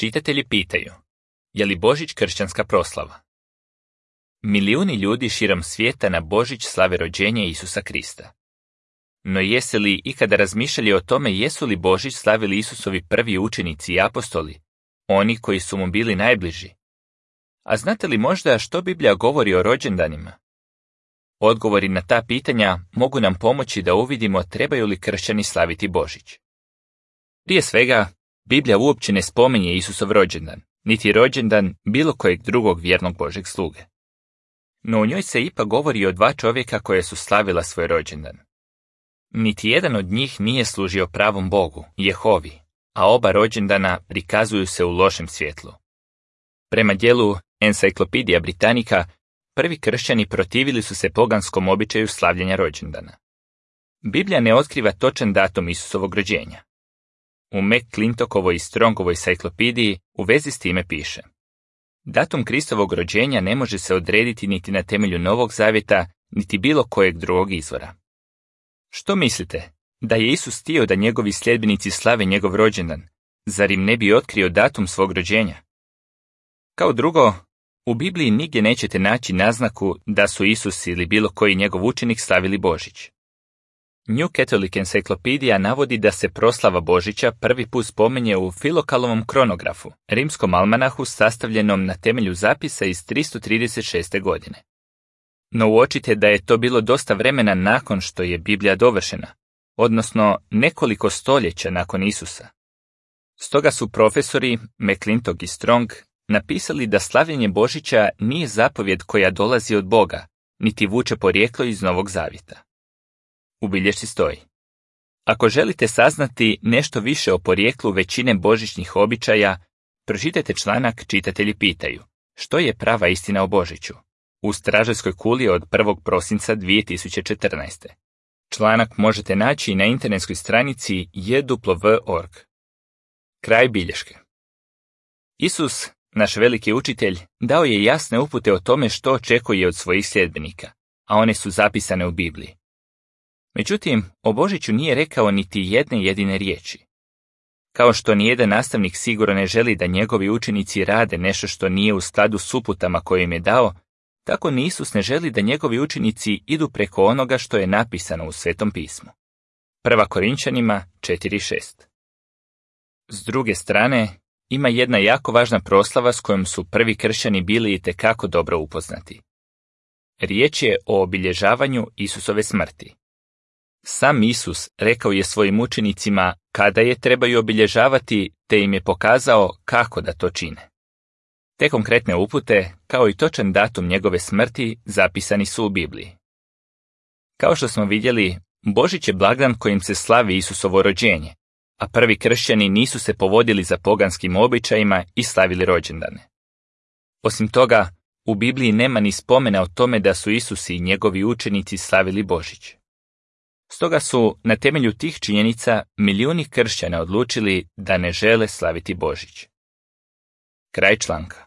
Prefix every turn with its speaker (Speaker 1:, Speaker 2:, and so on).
Speaker 1: Čitatelji pitaju, je li Božić kršćanska proslava? Milijuni ljudi širom svijeta na Božić slave rođenje Isusa Krista. No jeste li ikada razmišljali o tome jesu li Božić slavili Isusovi prvi učenici i apostoli, oni koji su mu bili najbliži? A znate li možda što Biblija govori o rođendanima? Odgovori na ta pitanja mogu nam pomoći da uvidimo trebaju li kršćani slaviti Božić. Prije svega, Biblija uopće ne spominje Isusov rođendan, niti rođendan bilo kojeg drugog vjernog Božeg sluge. No u njoj se ipak govori o dva čovjeka koje su slavila svoj rođendan. Niti jedan od njih nije služio pravom Bogu, Jehovi, a oba rođendana prikazuju se u lošem svjetlu. Prema dijelu Encyclopedia Britannica, prvi kršćani protivili su se poganskom običaju slavljenja rođendana. Biblija ne otkriva točan datum Isusovog rođenja. U McClintokovoj i Strongovoj enciklopediji u vezi s time piše: datum Kristovog rođenja ne može se odrediti niti na temelju Novog Zavjeta, niti bilo kojeg drugog izvora. Što mislite, da je Isus htio da njegovi sljedbenici slave njegov rođendan, zar im ne bi otkrio datum svog rođenja? Kao drugo, u Bibliji nigdje nećete naći naznaku da su Isus ili bilo koji njegov učenik slavili Božić. New Catholic Encyclopedia navodi da se proslava Božića prvi put spominje u Filokalovom kronografu, rimskom almanahu sastavljenom na temelju zapisa iz 336. godine. No uočite da je to bilo dosta vremena nakon što je Biblija dovršena, odnosno nekoliko stoljeća nakon Isusa. Stoga su profesori McClintock i Strong napisali da slavljenje Božića nije zapovjed koja dolazi od Boga, niti vuče porijeklo iz Novog Zavjeta. U bilješci stoji: ako želite saznati nešto više o porijeklu većine božićnih običaja, pročitajte članak Čitatelji pitaju, što je prava istina o Božiću, u Stražarskoj kuli od 1. prosinca 2014. Članak možete naći na internetskoj stranici jw.org. Kraj bilješke. Isus, naš veliki učitelj, dao je jasne upute o tome što očekuje od svojih sljedbenika, a one su zapisane u Bibliji. Međutim, o Božiću nije rekao niti jedne jedine riječi. Kao što nijedan nastavnik sigurno ne želi da njegovi učenici rade nešto što nije u skladu s uputama koje im je dao, tako ni Isus ne želi da njegovi učenici idu preko onoga što je napisano u Svetom pismu. 1. Korinčanima 4.6. S druge strane, ima jedna jako važna proslava s kojom su prvi kršćani bili itekako dobro upoznati. Riječ je o obilježavanju Isusove smrti. Sam Isus rekao je svojim učenicima kada je trebaju obilježavati, te im je pokazao kako da to čine. Te konkretne upute, kao i točan datum njegove smrti, zapisani su u Bibliji. Kao što smo vidjeli, Božić je blagdan kojim se slavi Isusovo rođenje, a prvi kršćani nisu se povodili za poganskim običajima i slavili rođendane. Osim toga, u Bibliji nema ni spomena o tome da su Isus i njegovi učenici slavili Božić. Stoga su, na temelju tih činjenica, milijuni kršćana odlučili da ne žele slaviti Božić. Kraj članka.